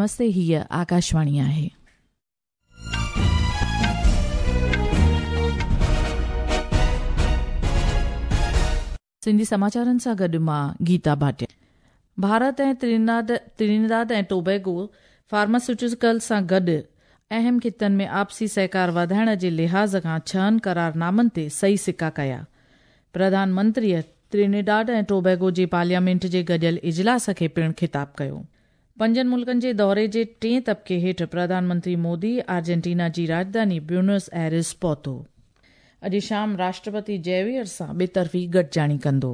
نمستي هيء آڪاشواڻي آهي. سنڌي سماچارن سان گڏ مان گيتا ڀاٽيا. ڀارت ۽ ٽرينيداد ۽ ٽوبيگو فارماسيوٽيڪل سان گڏ اهم خطن ۾ آپسي سهڪار وڌائڻ جي لحاظ کان ڇهن قرارنامن تي صحيح سڪا ڪيا. پرڌان منتريء ٽرينيڊاڊ ۽ ٽوبيگو جي پارليامينٽ جي گڏيل اجلاس کي پڻ خطاب ڪيو. پنجن ملڪن جي دوري جي ٽئين طبقي هيٺ پرڌان منتري مودي آرجنٽينا جي راڄڌاني بيونس ايرس پهتو. اڄ شام راشٽرپتي جيويئر سان ٻطرفي گڏجاڻي ڪندو.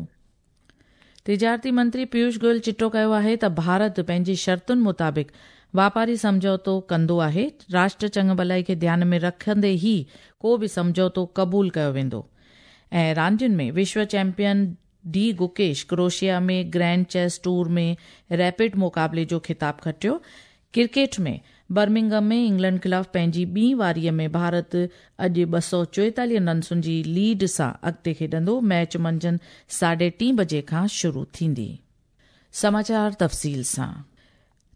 تجارتي منتري پيوش گويل چٽو ڪيو آهي ته ڀارت پنهنجي شرطن مطابق واپاري سمجهوتو ڪندو آهي، راشٽر چڱ ڀلائي کي ڌيان ۾ رکندي ئي ڪو به سمجهوتو قبول ڪيو ويندو ۽ راندين ۾ وشو champion D Gukesh Croatia ۾ grand chess tour ۾ rapid مقابلي جو خطاب کٽيو. ڪرڪيٽ ۾ برمنگهم ۾ انگلينڊ خلاف پنهنجي ٻي واريء ۾ ڀارت اڄ 244 رنسن جي ليڊ سان اڳتي کيڏندو، ميچ منجهند ساڍي ٽين بجي کان شروع ٿيندي. سماچار تفصيل سان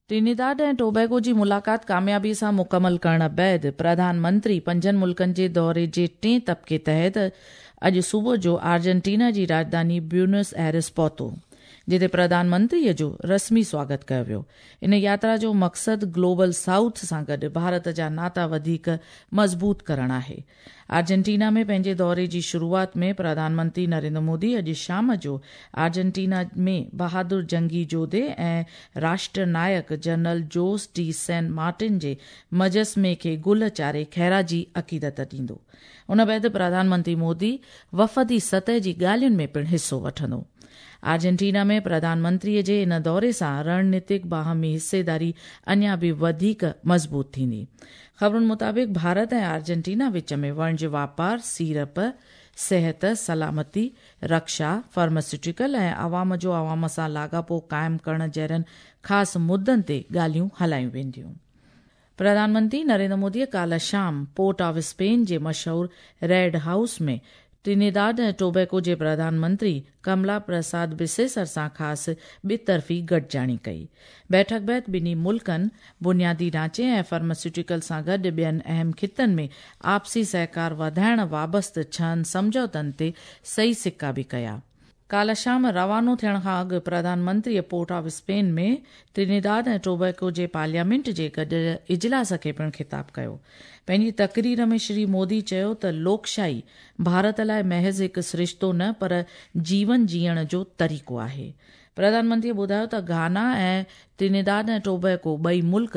ٽرينيداد ۽ ٽوبيگو جي ملاقات ڪاميابي سان مڪمل ڪرڻ بعد پرڌان منتري پنجن ملڪن جي دوري جي ٽئين طبقي تحت اڄ صبح جو آرجنٽينا جي راڄڌاني بيونس ايرس پهتو، جتي پرڌان منتري جو رسمي سواگت ڪيو ويو. ان ياترا جو مقصد گلوبل سائوٿ سان گڏ ڀارت جا ناتا وڌيڪ مضبوط ڪرڻ آهي. آرجنٽينا ۾ پنهنجي دوري جي شروعات ۾ پرڌان منتري نريندر مودي اڄ شام جو آرجنٽينا ۾ بهادر جنگي جوڌي ۽ راشٽر نائڪ general Jose de San Martin جي مجسمي کي گل چاڙهي خراجي عقيدت ڏيندو. ان بعد پرڌان منتري مودي وفدي سطح جي ڳالهين ۾ پڻ حصو وٺندو. آرجنٽينا ۾ پرڌان منتري جي ان دوري سان رڻنيتڪ باهمي حصيداري اڃا به وڌيڪ مضبوط ٿيندي. خبرن مطابق ڀارت ۽ آرجنٽينا وچ ۾ وڻج واپار، سيڙپ، صحت، سلامتي، رڪشا، فارماسيوٽيڪل ۽ عوام جو عوام سان لاڳاپو قائم ڪرڻ جهڙن خاص مدن تي ڳالهيون هلايون وينديون. پرڌان منتري نريندر مودي ڪالهه شام پورٽ آف اسپين جي مشهور ريڊ هائوس ۾ ٽرينيداد ۽ ٽوبيڪو جي پرڌان منتري ڪملا پرساد بسيسر سان خاص ٻطرفي گڏجاڻي ڪئي. بيٺڪ بعد ٻنهي ملڪن بنيادي ڍانچي ۽ فارماسيوٽيڪل سان گڏ ٻين اهم خطن ۾ آپسي سهڪار وڌائڻ وابسته ڇهن سمجهوتن تي صحيح سڪا به ڪيا. ڪالهه شام روانو ٿيڻ کان اڳ پرڌان منتريء پورٽ آف اسپين ۾ ٽرينيداد ۽ ٽوبيڪو جي پارليامينٽ جي گڏيل اجلاس کي پڻ خطاب ڪيو. پنهنجي تقرير ۾ شري مودي چيو ته لوڪشاهي ڀارت لاء محض هڪ سرشتو نه پر جيون جيئڻ جو طريقو آهي. پرڌان منتريء ٻڌايو ته گهانا ۽ ٽرينيداد ۽ ٽوبيڪو ٻئي ملڪ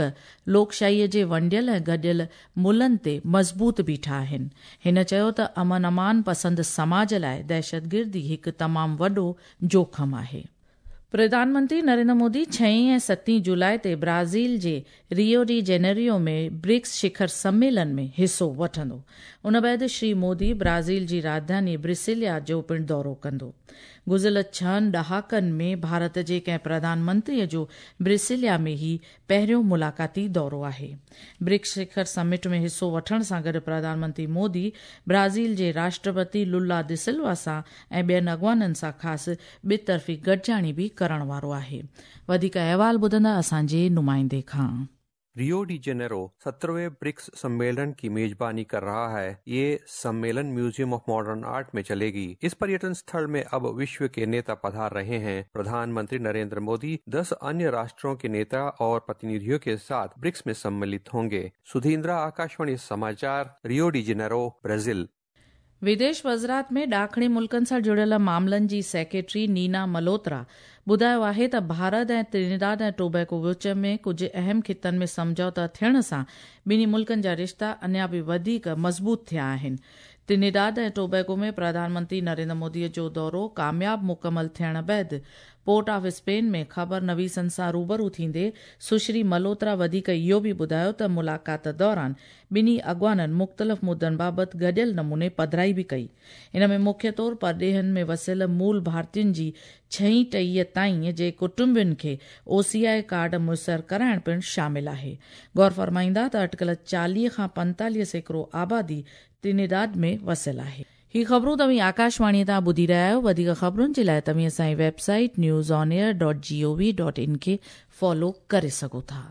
لوڪشاهيء جي ونڊيل ۽ گڏيل ملهن تي مضبوط بيٺا آهن. هن چيو ته امن امان پسند سماج لاء دهشتگردي هڪ تمام وڏو جوکم آهي. پرڌان منتري نريندر مودي ڇهين ۽ ستين جولاء تي برازيل جي ريو ڊي جينيريو ۾ برڪس شکر سميلن ۾ حصو وٺندو. ان بعد شري مودي برازيل جي راڄڌاني برسيليا جو پڻ دورو ڪندو. گذريل ڇهن ڏهاڪن ۾ ڀارت جي ڪنهن پرڌان منتري جو برسيليا ۾ هي پهريون ملاقاتي دورو آهي. برڪس شکر سمٽ ۾ حصو وٺڻ سان گڏ پرڌان منتري مودي برازيل جي راشٽرپتي لولا دسلوا سان ۽ ٻين اڳواڻن سان خاص ٻطرفي گڏجاڻي به ڪرڻ وارو آهي. وڌيڪ احوال ٻڌندا اسان جي نمائندي کان. रियो डी जेनेरो 17वें ब्रिक्स सम्मेलन की मेजबानी कर रहा है। ये सम्मेलन म्यूजियम ऑफ मॉडर्न आर्ट में चलेगी। इस पर्यटन स्थल में अब विश्व के नेता पधार रहे हैं। प्रधानमंत्री नरेंद्र मोदी 10 अन्य राष्ट्रों के नेता और प्रतिनिधियों के साथ ब्रिक्स में सम्मिलित होंगे। सुधीन्द्रा, आकाशवाणी समाचार, रियो डी जेनेरो, ब्राजील। विदेश वज़ारत ۾ ڏاکڻي ملڪن سان جڙيل معاملن جي سيڪريٽري نينا ملهوترا ٻڌايو آهي ته ڀارت ۽ ٽرينيداد ۽ ٽوبيڪو وچ ۾ ڪجهه اهم خطن ۾ سمجهوتا ٿيڻ سان ٻنهي ملڪن جا رشتا اڃا به وڌيڪ مضبوط ٿيا آهن. ٽرينيداد ۽ ٽوبيگو ۾ پرڌان منتري نريندر مودي جو دورو ڪامياب مڪمل ٿيڻ بعد پورٽ آف اسپين ۾ خبر نويسن سان روبرو ٿيندي سشري ملهوترا وڌيڪ اهو به ٻڌايو ته ملاقات دوران ٻنهي اڳواڻن مختلف مدن بابت گڏيل نموني پڌرائي به ڪئي. ان ۾ مکيه طور پرڏيهن ۾ وسيل مول ڀارتين جي ڇهين ٽهيء تائين جي ڪٽنبن کي او سي آء ڪارڊ ميسر ڪرائڻ پڻ شامل آهي. غور فرمائيندا ته اٽڪل 40 کان 45% آبادي ٽرينيڊاڊ ۾ وسيل آهي. هي خبرون توهين آڪاشواڻيء تان ٻڌي رهيا آهيو. وڌيڪ خبرن جي لاء توهين اسان جي web site news on air dot G O V dot in کي فالو ڪري سگهو ٿا.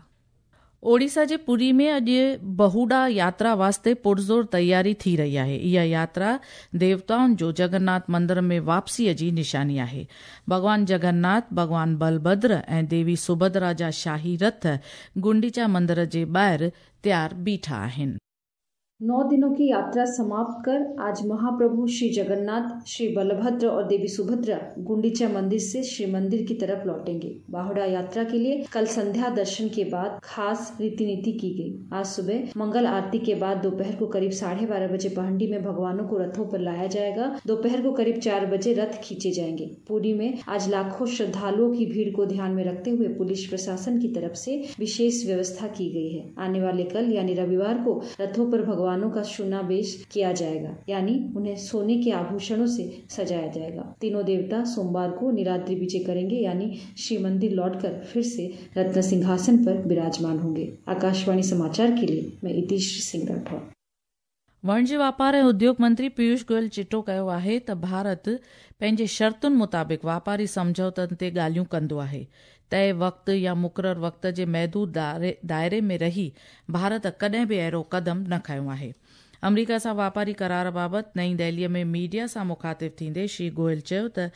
ओडिशा जे पुरी में अॼु बहुडा यात्रा वास्ते पुरज़ोर तयारी थी रही आहे। इहा यात्रा देवताउनि जो जगन्नाथ मंदिर में वापसीअ जी निशानी आहे। भॻवान जगन्नाथ, भॻवान बलभद्र ऐं देवी सुभद्रा जा शाही रथ गुंडीचा मंदिर जे ॿाहिरि तयार बीठा आहिनि। 9 दिनों की यात्रा समाप्त कर आज महाप्रभु श्री जगन्नाथ, श्री बलभद्र और देवी सुभद्रा गुंडीचा मंदिर से श्री मंदिर की तरफ लौटेंगे। बाहुड़ा यात्रा के लिए कल संध्या दर्शन के बाद खास रीति नीति की गई। आज सुबह मंगल आरती के बाद दोपहर को करीब 12:30 बजे पहंडी में भगवानों को रथों पर लाया जाएगा। दोपहर को करीब 4 बजे रथ खींचे जाएंगे। पुरी में आज लाखों श्रद्धालुओं की भीड़ को ध्यान में रखते हुए पुलिस प्रशासन की तरफ से विशेष व्यवस्था की गई है। आने वाले कल यानी रविवार को रथों पर भगवान का सुनाबेश किया जाएगा, यानी उन्हें सोने के आभूषणों से सजाया जाएगा। तीनों देवता सोमवार को निराद्री विजय करेंगे, यानी श्री मंदिर लौटकर फिर से रत्न सिंहासन पर विराजमान होंगे। आकाशवाणी समाचार के लिए मैं इतिश सिंह राठौर। वणिज वापार ऐं उद्योग मंत्री पीयूष गोयल चिटो कयो आहे त भारत पंहिंजे शर्तुनि मुताबिक़ वापारी सम्झौतनि ते ॻाल्हियूं कंदो आहे। तय वक़्त या मुक़ररु वक़्त जे महदूद दायरे में रही भारत कॾहिं बि अहिड़ो क़दम न खयो आहे। अमरीका सां वापारी करार बाबति नई दिल्लीअ में मीडिया सां मुखातिब थींदे श्री गोयल चयो त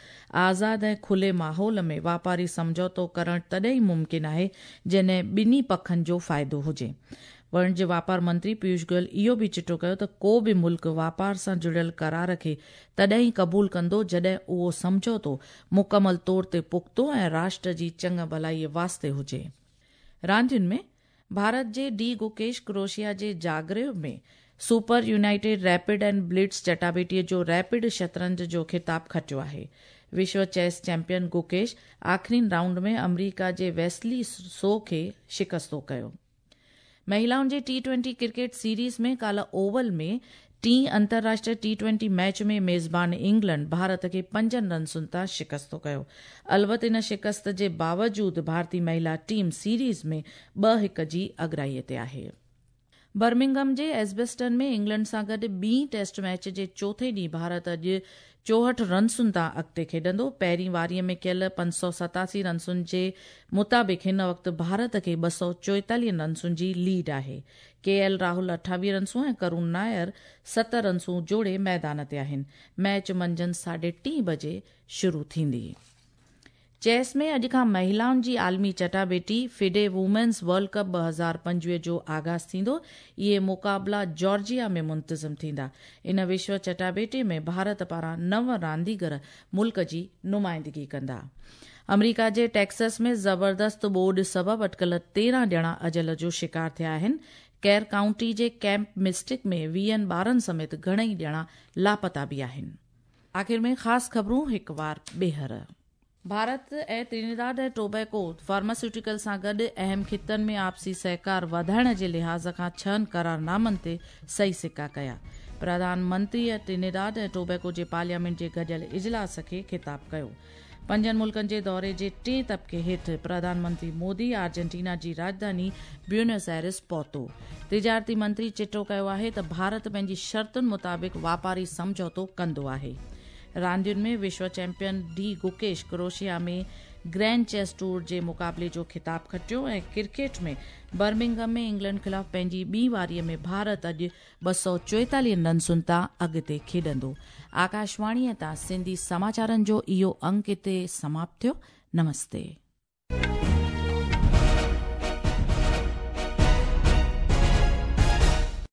आज़ाद ऐं खुले माहौल में वापारी सम्झौतो करणु तॾहिं ई मुमकिन आहे जॾहिं ॿिन्ही पखनि जो फ़ाइदो हुजे। वणिज वापार मंत्री पीयूष गोयल इहो बि चिटो कयो त को बि मुल्क वापार सां जुड़ियल करार खे तॾहिं ई क़बूल कंदो जॾहिं उहो सम्झौतो मुकमल तौर ते पुख़्तो ऐं राष्ट्र जी चङु भलाईअ वास्ते हुजे। रांदियुनि में भारत जे डी गुकेश क्रोएशिया जे Zagreb में super united rapid and blitz चटाबेटीअ जो रैपिड शतरंज जो ख़िताब खटियो आहे। विश्व चेस चैंपियन गुकेश आख़िरीन राउंड में अमरीका जे वेस्ली सो खे शिकस्तो कयो। महिलाउनि जे T20 cricket series में काल्ह ओवल में टीं अंतर्राष्ट्रीय T20 match में मेज़बान इंग्लैंड भारत खे 5 रनसुनि तां शिकस्तो कयो। अलबत इन शिकस्त जे बावजूद भारतीय महिला टीम सीरीज़ में 2-1 जी अगराईअ ते आहे। बर्मिंघम जे एस्बेस्टन में इंग्लैंड सां गॾु ॿी टेस्ट मैच जे चोथे ॾींहुं भारत अॼु 64 रनसुनि तां अॻिते खेॾंदो। पहिरीं वारीअ में कयल 587 रनसुनि जे मुताबिक़ हिन वक़्तु भारत खे 244 रनसुनि जी लीड आहे। के एल राहुल 28 रनसूं ऐं करुण नायर 7 रनसूं जोड़े मैदान ते आहिनि। मैच मंझंदि 3:30 बजे शुरू थींदी। चेस में अॼु खां महिलाउनि जी आलमी चटाबेटी फिडे वुमेन्स वर्ल्ड कप 2025 जो आगाज़ थींदो। इहे मुक़ाबला जॉर्जिया में मुंतज़िम थींदा। इन विश्व चटाबेटी में भारत पारां 9 रांदीगर मुल्क जी नुमाइंदगी कंदा। अमरीका जे टेक्सास में ज़बरदस्त ॿोॾ सबबु अटकल 13 ॼणा अजल जो शिकार थिया आहिनि। कैर काउंटी जे कैंप मिस्टिक में 20 ॿारनि समेत घणेई ॼणा लापता बि आहिनि। आख़िर में ख़ासि ख़बरूं हिकु वार ॿीहर। भारत ऐं त्रिनिदाद ऐं टोबैगो फार्मास्यूटिकल सां गॾु अहम ख़ितनि में आपसी सहकार वधाइण जे लिहाज़ खां 6 करारनामनि ते सही सिक्का कया। प्रधानमंत्रीअ त्रिनिदाद ऐं टोबैगो जे पार्लियामेंट जे गॾियल इजलास खे ख़िताब कयो। 5 मुल्कनि जे दौरे जे टे तबक़े हेठि प्रधानमंत्री मोदी आर्जेंटीना जी राजधानी ब्यूनस आयर्स पहुतो। तिजारती मंत्री चिटो कयो आहे त भारत पंहिंजी शर्तुनि मुताबिक़ वापारी सम्झौतो कंदो आहे। रांदियुनि में विश्व चैंपियन डी गुकेश क्रोएशिया में ग्रैंड चेस टूर जे मुक़ाबले जो ख़िताब खटियो ऐं क्रिकेट में बर्मिंघम में इंग्लैंड ख़िलाफ़ पंहिंजी ॿी वारीअ में भारत अॼु 244 रनसुनि तां अॻिते खेॾंदो। आकाशवाणीअ तां सिंधी समाचारनि जो इहो अंक हिते समाप्त थियो। नमस्ते।